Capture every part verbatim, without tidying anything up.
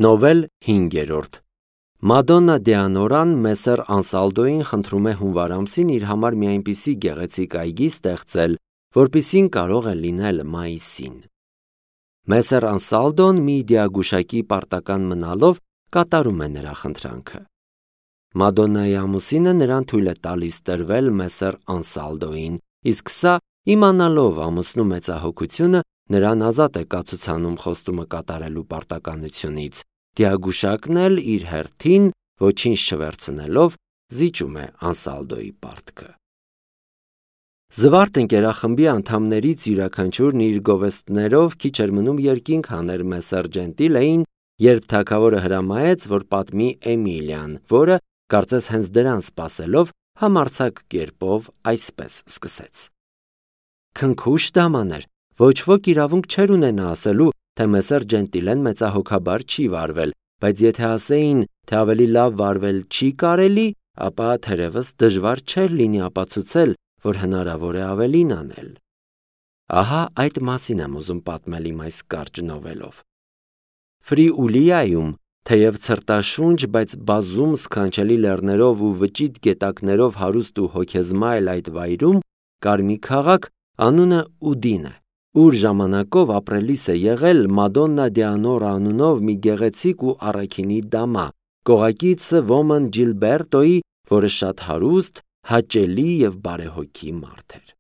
Նովել հինգերորդ Մադոննա Դեանորան Մեսեր Անսալդոին խնդրում է հունվար ամսին իր համար մի այնպիսի գեղեցիկ այգի ստեղծել, որպիսին կարող է լինել մայիսին։ Մեսեր Անսալդոն մի դիագուշակի պարտական մնալով կատարում է նրա խնդրանքը։ Մադոննայի ամուսինը նրան թույլ է տալիս տրվել Մեսեր Անսալդոին, իսկ սա, իմանալով ամուսնու մեծահոգությունը, նրան ազատ է կացուցանում խոստումը կատարելու պարտականությունից, դիագուշակն էլ իր հերթին, ոչինչ չվերցնելով, զիջում է Անսալդոյի պարտքը։ Զվարթ ընկերախմբի անդամներից յուրաքանչյուրն իր գովեստներով քիչ էր մնում երկինք հաներ Մեսեր Ջենտիլեին, երբ թագավորը հրամայեց, որ պատմի Էմիլիան, որը, կարծես հենց դրան սպասելով, համարձակ կերպով այսպես սկսեց. Քնքուշ դամաներ, ոչ ոք իրավունք չէր ունենա ասելու, թե Մեսեր Ջենտիլեն մեծահոգաբար չի վարվել, բայց եթե ասեին, թե ավելի լավ վարվել չի կարելի, ապա թերևս դժվար չէր լինի ապացուցել, որ հնարավոր է ավելին անել։ Ահա այդ մասին եմ ուզում պատմել իմ այս կարճ նովելով։ Ֆրիուլիայում, թեև ցրտաշունչ, բայց բազում սքանչելի լեռներով ու վճիտ գետակներով հարուստ ու հոգեզմայլ այդ վայրում կար մի քաղաք, անունը Ուդին է, ուր ժամանակով ապրելիս է եղել Մադոննա Դեանորա անունով մի գեղեցիկ ու առաքինի դամա, կողակիցը ոմն Ջիլբերտոյի, որը շատ հարուստ, հաճելի և բարեհոգի մարդ էր։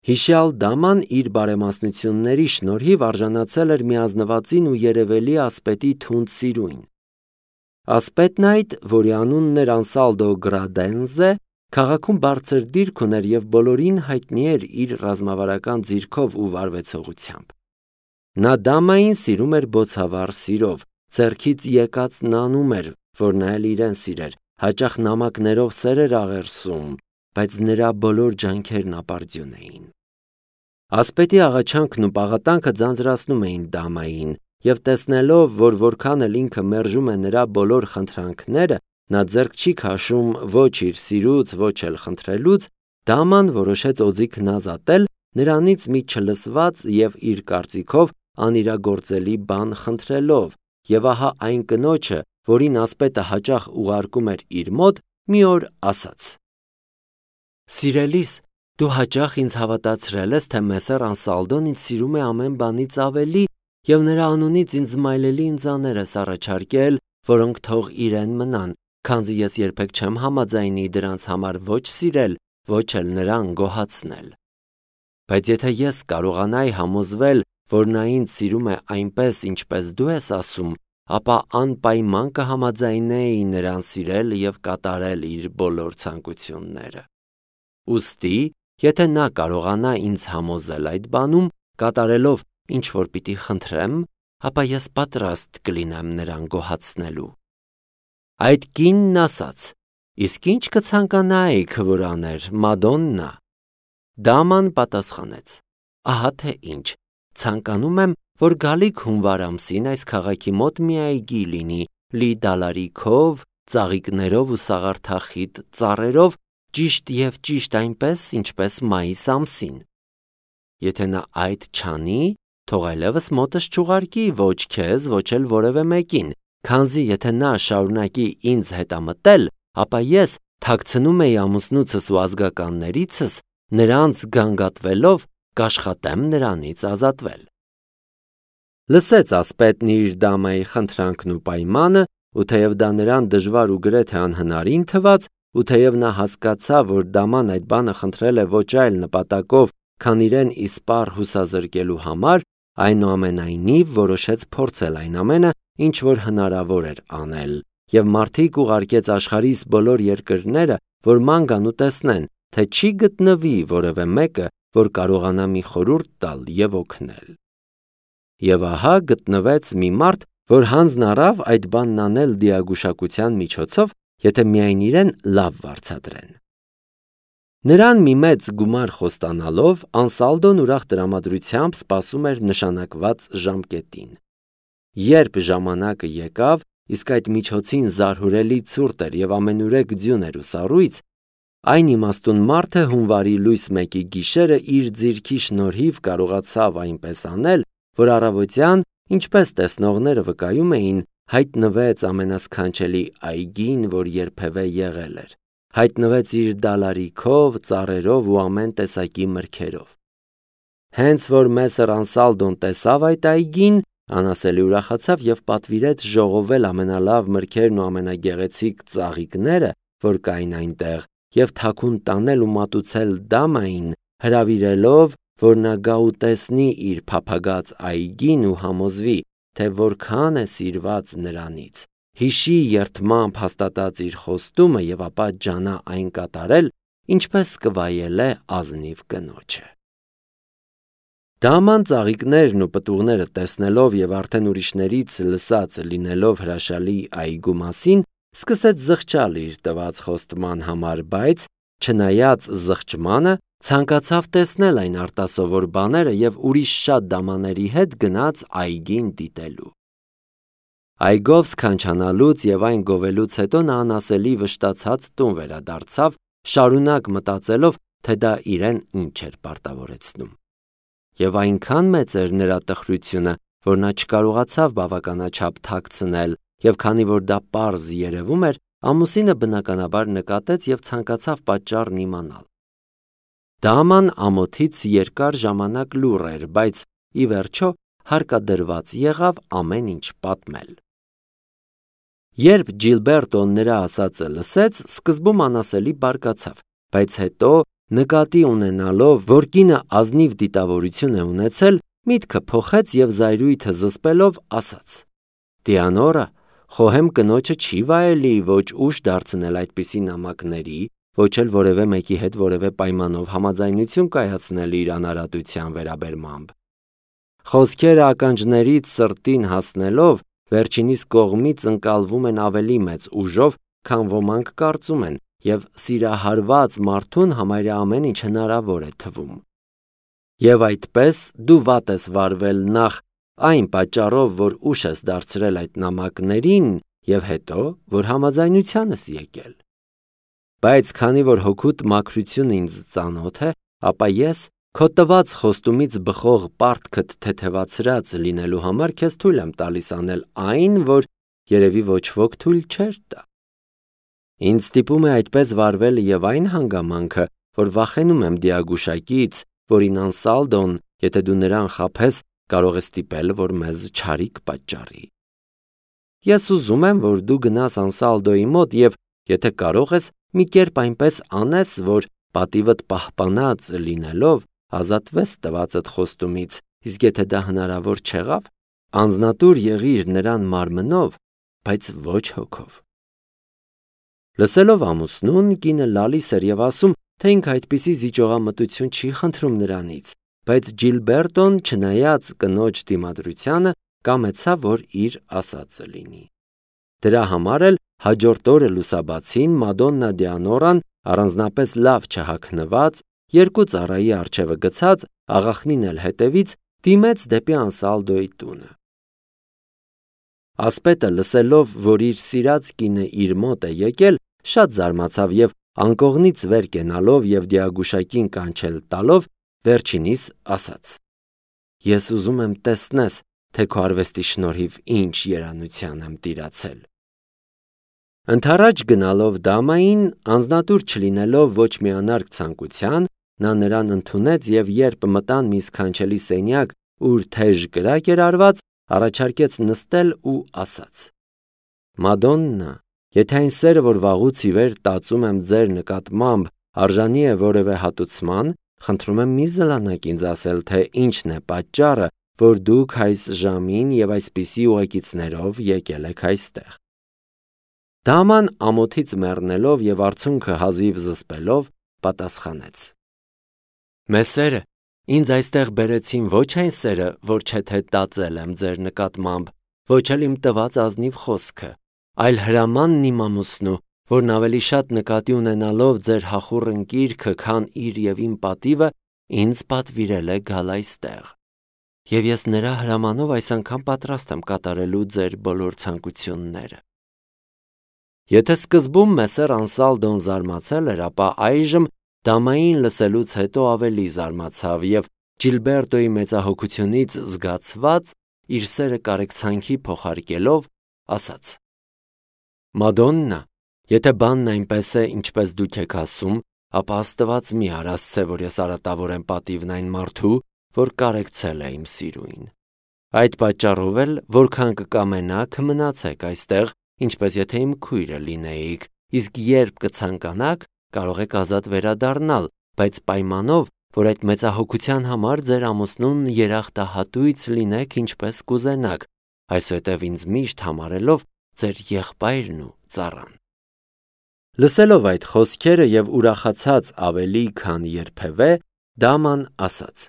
Հիշյալ դաման իր բարեմասնությունների շնորհիվ արժանացել էր մի ազնվածին ու երևելի ասպետի թունդ սիրույն։ Ասպետն այդ, որի անունն էր Անսալդո Գրադենզե, քաղաքում բարձր դիրք ուներ և բոլորին հայտնի էր իր ռազմավարական ձիրքով ու վարվեցողությամբ։ Նա դամային սիրում էր բոցավառ սիրով, ձեռքից եկածն անում էր, որ նա էլ իրեն սիրեր, հաճախ նամակներով սեր էր աղերսում, բայց նրա բոլոր ջանքերն ապարդյուն էին։ Ասպետի աղաչանքն ու պաղատանքը ձանձրացնում էին դամային, և տեսնելով, որ որքան էլ ինքը մերժում է նրա բոլոր խնդրանքները, նա ձեռք չի քաշում ոչ իր սիրուց, ոչ էլ խնդրելուց, դաման որոշեց օձիքն ազատել, նրանից մի չլսված և իր կարծիքով անիրագործելի բան խնդրելով, և ահա այն կնոջը, որին ասպետը հաճախ ուղարկում էր իր մոտ, մի օր ասաց. Սիրելիս, դու հաճախ ինձ հավատացրել ես, թե Մեսեր Անսալդոն ինձ սիրում է ամեն բանից ավելի և նրա անունից ինձ զմայլելի ընծաներ ես առաջարկել, որոնք թող իրեն մնան, քանզի ես երբեք չեմ համաձայնի դրանց համար ոչ սիրել, ոչ էլ նրան գոհացնել։ Բայց եթե ես կարողանայի համոզվել, որ նա ինձ սիրում է այնպես, ինչպես դու ես ասում, ապա անպայման կհամաձայնեի նրան սիրել և կատարել իր բոլոր ցանկությունները։ Ուստի, եթե նա կարողանա ինձ համոզել այդ բանում, կատարելով ինչ որ պիտի խնդրեմ, ապա ես պատրաստ կլինեմ նրան գոհացնելու։ Այդ կինն ասաց. իսկ ինչ կցանկանայիք, որ աներ, Մադոննա։ Դաման պատասխանեց. ահա թե ինչ, ցանկանում եմ, որ գալիք հունվար ամսին այս քաղաքի մոտ մի այգի լինի, լի դալարիքով, ծաղիկներով ու սաղարթախիտ ծառերով, ճիշտ և ճիշտ այնպես, ինչպես մայիս ամսին։ Եթե նա այդ չանի, թող այլևս մոտս չուղարկի ոչ քեզ, ոչ էլ որևէ մեկին, քանզի եթե նա շարունակի ինձ հետամտել, ապա ես թաքցնում էի ամուսնուցս ու ազգականներիցս, նրանց գանգատվելով կաշխատեմ նրանից ազատվել։ Լսեց ասպետն իր դամայի խնդրանքն ու պայմանը, ու թեև դա նրան դժվար ու գրեթե անհնարին թվաց, ու թեև նա հասկացավ, որ դաման այդ բանը խնդրել է ոչ այլ նպատակով, քան իրեն իսպառ հուսազրկելու համար, այնուամենայնիվ որոշեց փորձել այն ամենը, ինչ որ հնարավոր էր անել, և մարդիկ ուղարկեց աշխարհիս բոլոր երկրները, որ ման գան ու տեսնեն, թե չի գտնվի որևէ մեկը, որ կարողանա մի խորհուրդ տալ և օգնել։ Եվ ահա գտնվեց մի մարդ, որ հանձն առավ այդ բանն անել դիագուշակության միջոցով, եթե միայն իրեն լավ վարձատրեն։ Նրան մի մեծ գումար խոստանալով, Անսալդոն ուրախ տրամադրությամբ սպասում էր նշանակված ժամկետին։ Երբ ժամանակը եկավ, իսկ այդ միջոցին զարհուրելի ցուրտ էր և ամենուրեք ձյուն էր ու սառույց, այն իմաստուն մարդը հունվարի լույս մեկի գիշերը իր ձիրքի շնորհիվ կարողացավ այնպես անել, որ առավոտյան, Ինչպես տեսնողները վկայում էին, հայտնվեց ամենասքանչելի այգին, որ երբևէ եղել էր, հայտնվեց իր դալարիքով, ծառերով ու ամեն տեսակի մրգերով։ Հենց որ Մեսեր Անսալդոն տեսավ այդ այգին, անասելի ուրախացավ և պատվիրեց ժողովել ամենալավ մրգերն ու ամենագեղեցիկ ծաղիկները, որ կային այնտեղ, և թաքուն տանել ու մատուցել դամային, հրավիրելով, որ նա գա ու տեսնի իր փափագած այգին ու համոզվի, թե որքան է սիրված նրանից, հիշի երդմամբ հաստատած իր խոստումը և ապա ջանա այն կատարել, ինչպես կվայելե ազնիվ կնոջը։ Դաման ծաղիկներն ու պտուղները տեսնելով և արդեն ուրիշներից լսած լինելով հրաշալի այգու մասին, սկսեց զղջալ իր տված խոստման համար, բայց, չնայած զղջմանը, ցանկացավ տեսնել այն արտասովոր բաները և ուրիշ շատ դամաների հետ գնաց այգին դիտելու։ Այգով սքանչանալուց և այն գովելուց հետո նա անասելի վշտացած տուն վերադարձավ, շարունակ մտածելով, թե դա իրեն ինչ էր պարտավորեցնում։ Եվ այնքան մեծ էր նրա տխրությունը, որ նա չկարողացավ բավականաչափ թաքցնել, և քանի որ դա պարզ երևում էր, ամուսինը բնականաբար նկատեց և ցանկացավ պատճառն իմանալ։ Դաման ամոթից երկար ժամանակ լուռ էր, բայց ի վերջո հարկադրված եղավ ամեն ինչ պատմել։ Երբ Ջիլբերտոն նրա ասածը լսեց, սկզբում անասելի բարկացավ, բայց հետո նկատի ունենալով, որ կինը ազնիվ դիտավորություն է ունեցել, միտքը փոխեց և զայրույթը զսպելով ասաց. «Դիանորա, խոհեմ կնոջը չի վայելի ոչ ուշ դարձնել այդպիսի նամակների, ոչ էլ որևէ մեկի հետ որևէ պայմանով համաձայնություն կայացնել իր անարատության վերաբերմամբ։ Խոսքերը ականջներից սրտին հասնելով, վերջինիս կողմից ընկալվում են ավելի մեծ ուժով, քան ոմանք կարծում են, և սիրահարված մարդուն համարյա ամեն ինչ հնարավոր է թվում։ Եվ այդպես դու վատ ես վարվել նախ այն պատճառով, որ ուշ ես դարձրել այդ նամակներին, և հետո, որ համաձայնության ես եկել։ Բայց քանի որ հոգուտ մաքրությունը ինձ ծանոթ է, ապա ես քո տված խոստումից բխող պարտքդ թեթևացրած լինելու համար քեզ թույլ եմ տալիս անել այն, որ երևի ոչ ոք թույլ չէր տա։ Ինձ ստիպում է այդպես վարվել և այն հանգամանքը, որ վախենում եմ դիագուշակից, որին Անսալդոն, եթե դու նրան խաբես, կարող է ստիպել, որ մեզ չարիք պատճառի։ Ես ուզում եմ, որ դու գնաս Անսալդոյի մոտ և, եթե կարող ես, մի կերպ այնպես անես, որ պատիվդ պահպանած լինելով, ազատվես տվածդ խոստումից, իսկ եթե դա հնարավոր չեղավ, անձնատուր եղիր նրան մարմնով, բայց ոչ հոգով։ Լսելով ամուսնուն, կինը լալիս էր և ասում, թե ինքը այդպիսի զիջողամտություն չի խնդրում նրանից, բայց Ջիլբերտոն, չնայած կնոջ դիմադրությանը, կամեցավ, որ իր ասածը լինի։ Դրա համար էլ հաջորդ օրը լուսաբացին Մադոննա Դիանորան առանձնապես լավ չհագնված, երկու ծառայի առջևը գցած, աղախնին էլ հետևից, դիմեց դեպի Անսալդոյի տունը։ Ասպետը լսելով, որ իր սիրած կինը իր մոտ է եկել, շատ զարմացավ և անկողնից վեր կենալով և դիագուշակին կանչել տալով, վերջինիս ասաց. «Ես ուզում եմ տեսնես, թե քո արվեստի շնորհիվ ինչ երանության եմ տիրացել»։ Ընդառաջ գնալով դամային, անձնատուր չլինելով ոչ մի անարգ ցանկության, նա նրան ընդունեց և երբ մտան մի սքանչելի սենյակ, ուր թեժ կրակ էր արված, առաջարկեց նստել ու ասաց. «Մադոննա, եթե այն սերը, որ վաղուց ի վեր տածում եմ ձեր նկատմամբ, արժանի է որևէ հատուցման, խնդրում եմ մի զլանաք ինձ ասել, թե ինչն է պատճառը, որ դուք այս ժամին և այսպիսի ուղեկիցներով եկել եք այստեղ»։ Դաման ամոթից մեռնելով և արցունքը հազիվ զսպելով, պատասխանեց. «Մեսերը, ինձ այստեղ բերեցին ոչ այն սերը, որ չէ թե տածել եմ ձեր նկատմամբ, ոչ էլ իմ տված ազնիվ խոսքը, այլ հրամանն իմ ամուսնու, որն ավելի շատ նկատի ունենալով ձեր հախուռ ընկիրքը, քան իր և իմ պատիվը, ինձ պատվիրել է գալ այստեղ։ Եվ ես նրա հրամանով այս անգամ պատրաստ եմ կատարելու ձեր բոլոր ցանկությունները»։ Եթե սկզբում Մեսեր Անսալդոն զարմացել էր, ապա այժմ դամային լսելուց հետո ավելի զարմացավ և Ջիլբերտոյի մեծահոգությունից զգացված իր սերը կարեկցանքի փոխարկելով, ասաց. «Մադոննա, եթե բանն այնպես է, ինչպես դուք եք ասում, ապա Աստված մի արասցե, որ ես արատավորեմ պատիվն այն մարդու, որ կարեկցել է իմ սիրուին։ Այդ պատճառով էլ, որքան կկամենաք, մնացեք այստեղ, ինչպես եթե իմ քույրը լինեիք, իսկ երբ կցանկանաք, կարող եք ազատ վերադառնալ, բայց պայմանով, որ այդ մեծահոգության համար ձեր ամուսնուն երախտահատույց լինեք, ինչպես կուզենաք, այսուհետև ինձ միշտ համարելով ձեր եղբայրն ու ծառան»։ Լսելով այդ խոսքերը եւ ուրախացած ավելի, քան երբևէ, Դաման ասաց.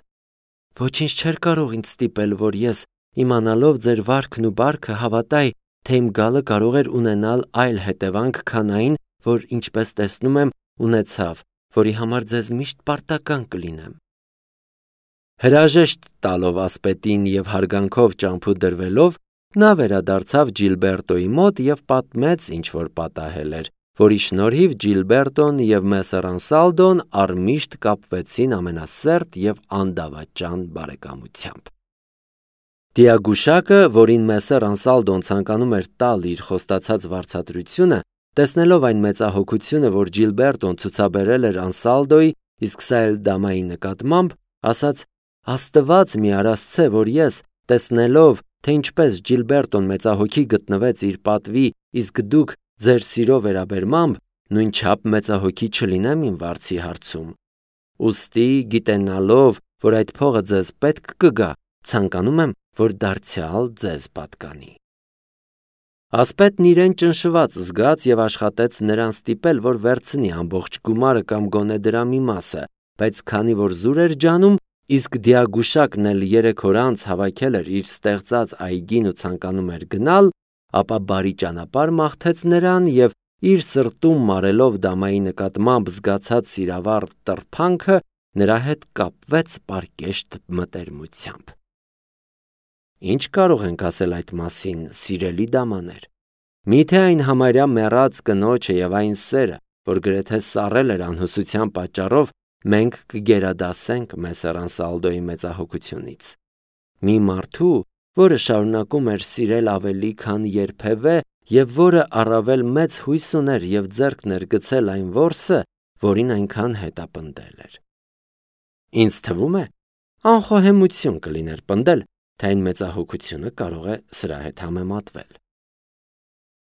«Ոչինչ չէր կարող ինձ ստիպել, որ ես, իմանալով ձեր վարքն ու բարքը, հավատայի, թե իմ գալը կարող էր ունենալ այլ հետևանք, քան այն, որ, ինչպես տեսնում եմ, ունեցավ, որի համար ձեզ միշտ պարտական կլինեմ»։ Հրաժեշտ տալով ասպետին եւ հարգանքով ճամփու դրվելով, նա վերադարձավ Ջիլբերտոյի մոտ եւ պատմեց, ինչ որ պատահել էր, որի շնորհիվ Ջիլբերտոն եւ Մեսեր Անսալդոն առմիշտ կապվեցին ամենասերտ եւ անդավաճան բարեկամությամբ։ Դիագուշակը, որին Մեսեր Անսալդոն ցանկանում էր տալ իր խոստացած վարձատրությունը, տեսնելով այն մեծահոգությունը, որ Ջիլբերտոն ցուցաբերել էր Անսալդոյի, իսկ սա էլ Դամայի նկատմամբ, ասաց. «Աստված մի արասցե, որ ես, տեսնելով, թե ինչպես Ջիլբերտոն մեծահոգի գտնվեց իր պատվի, իսկ դուք ձեր սիրո վերաբերմամբ նույնչափ մեծահոգի չլինեմ իմ վարձի հարցում։ Ուստի, գիտենալով, որ այդ փողը ձեզ պետք կգա, ցանկանում եմ, որ դարձյալ ձեզ պատկանի»։ Ասպետն իրեն ճնշված զգաց եւ աշխատեց նրան ստիպել, որ վերցնի ամբողջ գումարը կամ գոնե դրա մի մասը, բայց քանի որ զուր էր ջանում, իսկ Դիագուշակն էլ երեք օր անց հավաքել էր իր ստեղծած այգին ու ցանկանում էր գնալ, ապա բարի ճանապարհ մաղթեց նրան եւ իր սրտում մարելով Դամայի նկատմամբ զգացած սիրավառ տրփանքը, նրա հետ կապվեց պարկեշտ մտերմությամբ։ Ինչ կարող ենք ասել այդ մասին, սիրելի դամաներ։ Միթե այն համարյա մեռած կնոջը եւ այն սերը, որ գրեթե սառել էր անհուսության պատճառով, մենք կգերադասենք Մեսեր Անսալդոյի մեծահոգությունից։ Մի մարդու, որը շարունակում էր սիրել ավելի, քան երբևէ, եւ որը առավել մեծ հույս ուներ եւ ձեռքն էր գցել այն որսը, որին այնքան հետապնդել էր։ Ինձ թվում է, անխոհեմություն կլիներ պնդել, թե այն մեծահոգությունը կարող է սրա հետ համեմատվել։